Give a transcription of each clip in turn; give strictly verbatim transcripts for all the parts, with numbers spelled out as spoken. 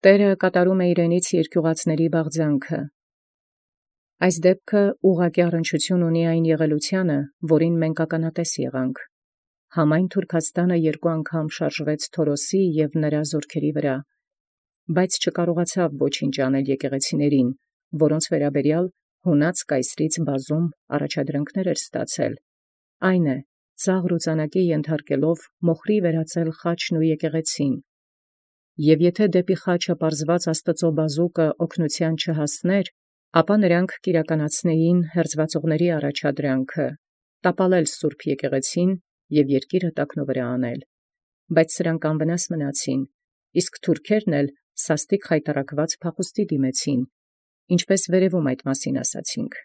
Տէրը կատարում է իրենից երկիւղածացն բաղձանքը։ Այս դեպքը ուղղակի առնչություն ունի այն եղելութեանը, որին մենք ականատես եղանք։ Համայն Թուրքաստանը երկու անգամ շարժվեց Թորոսի և նրա զորքերի վրա, բայց չկարողացավ ոչինչ անել եկեղեցիներին, որոնց վերաբերյալ հունած կայսրից բազում առաջադրանքներ էր ստացել, այն է, ծաղր ու ծանակի ենթարկելով մոխրի վերածել խաչն ու եկեղեցին։ Եվ եթե դեպի խաչը պարզված Աստուծո բազուկը օգնութեան չհասներ, ապա նրանք կիրականացնեին հերձվածողների առաջադրանքը, տապալել սուրբ եկեղեցին և երկիրը տակնովրա անել։ Բայց սրանք անվնաս մնացին, իսկ թուրքերն էլ սաստիկ խայտառակված փախուստի դիմեցին, ինչպես վերևում այդ մասին ասացինք։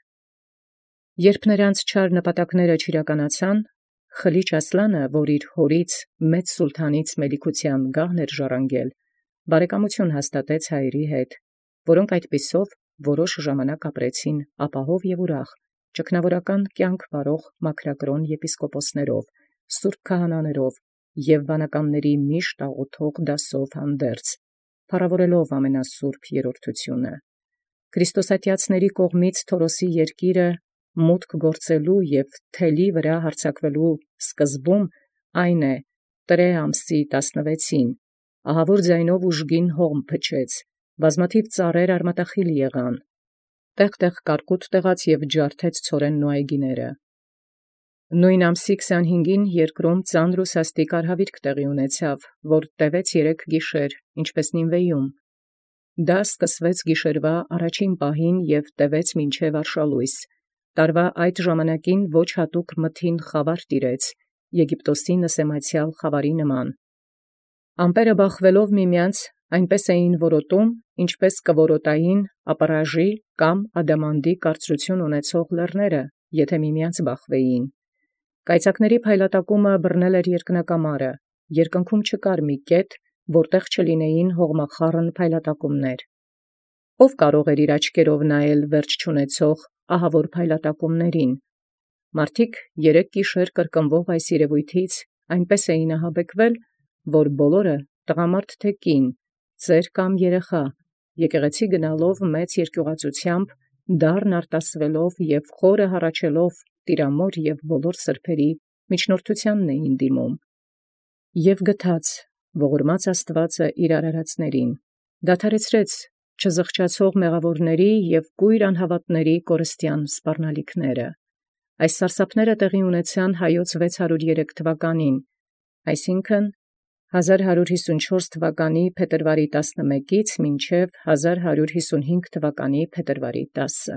Երբ նրանց չար նպատակները չիրականացան, Խլիչ Ասլանը, որ իր հորից մեծ սուլթանից մելիքութեան գահն էր ժառանգել, բարեկամություն հաստատեց հայերի հետ, որոնք այդպիսով որոշ ժամանակ ապրեցին ապահով և ուրախ, ճգնավորական կյանք վարող մաքրակրոն եպիսկոպոսներով, սուրբ քահանաներով և վանականաց միշտ աղոթող դասով հանդերձ, փառաւորելով ամենասուրբ երրորդությունը։ Քրիստոսատյացների կողմից Թորոսի երկիրը մուտք գործելու և թելի վրա հարձակվելու սկզբում այն է, Տրէ ամսի տասնվեցին, ահավոր ձայնով ուժգին հողմ փչեց, բազմաթիվ ծառեր արմատախիլ եղան, տեղ կարկուտ տեղաց և ջարդեց ցորենն ու այգիները։ Նոյն ամսի քսանհինգին երկրում ծանր ու սաստիկ արհավիրք տեղի ունեցավ, որ տևեց երեք գիշեր, ինչպես Նինվեում։ Դա սկսվեց գիշերվա առաջին պահին և տևեց մինչև արշալույս։ Տարվա այդ ժամանակին ոչ հատուկ մթին խավար տիրեց, Եգիպտոսի նսեմացեալ խավարի նման։ Ամպերը բախվելով միմեանց այնպես էին որոտում, ինչպես կորոտային ապառաժի կամ ադամանդի կարծրություն ունեցող լեռները, եթէ միմեանց բախվեին։ Կայծակների փայլատակումը բռնել էր երկնակամարը, երկնքում չկար մի կետ, որտեղ չլինեին հողմախառն փայլատակումներ։ Ո՞վ կարող էր իր աչքերով նայել վերջ չունեցող ահավոր փայլատակումներին։ Մարդիկ երեք գիշեր կրկնվող այս երևոյթից այնպես էին ահաբեկվել, որ բոլորը, տղամարդ թե կին, ծեր կամ երեխա, եկեղեցի գնալով մեծ երկիւղածութեամբ, դառն արտասվելով և խորը հառաչելով տիրամոր և բոլոր սրբոցն միջնորդութեանն էին դիմում։ Եւ գթաց ողորմած Աստուածը իր արարածացն, դադարեցրեց չզղջացող մեղաւորացն և կույր անհաւատացն կորստեան սպառնալիքս։ Այս սարսափները տեղի ունեցան վեց հարյուր երեք թվականին, այսինքն՝ հազար հարյուր յիսունչորս թվականի փետրվարի տասնմեկից մինչև հազար հարյուր յիսունհինգ թվականի փետրվարի տասը։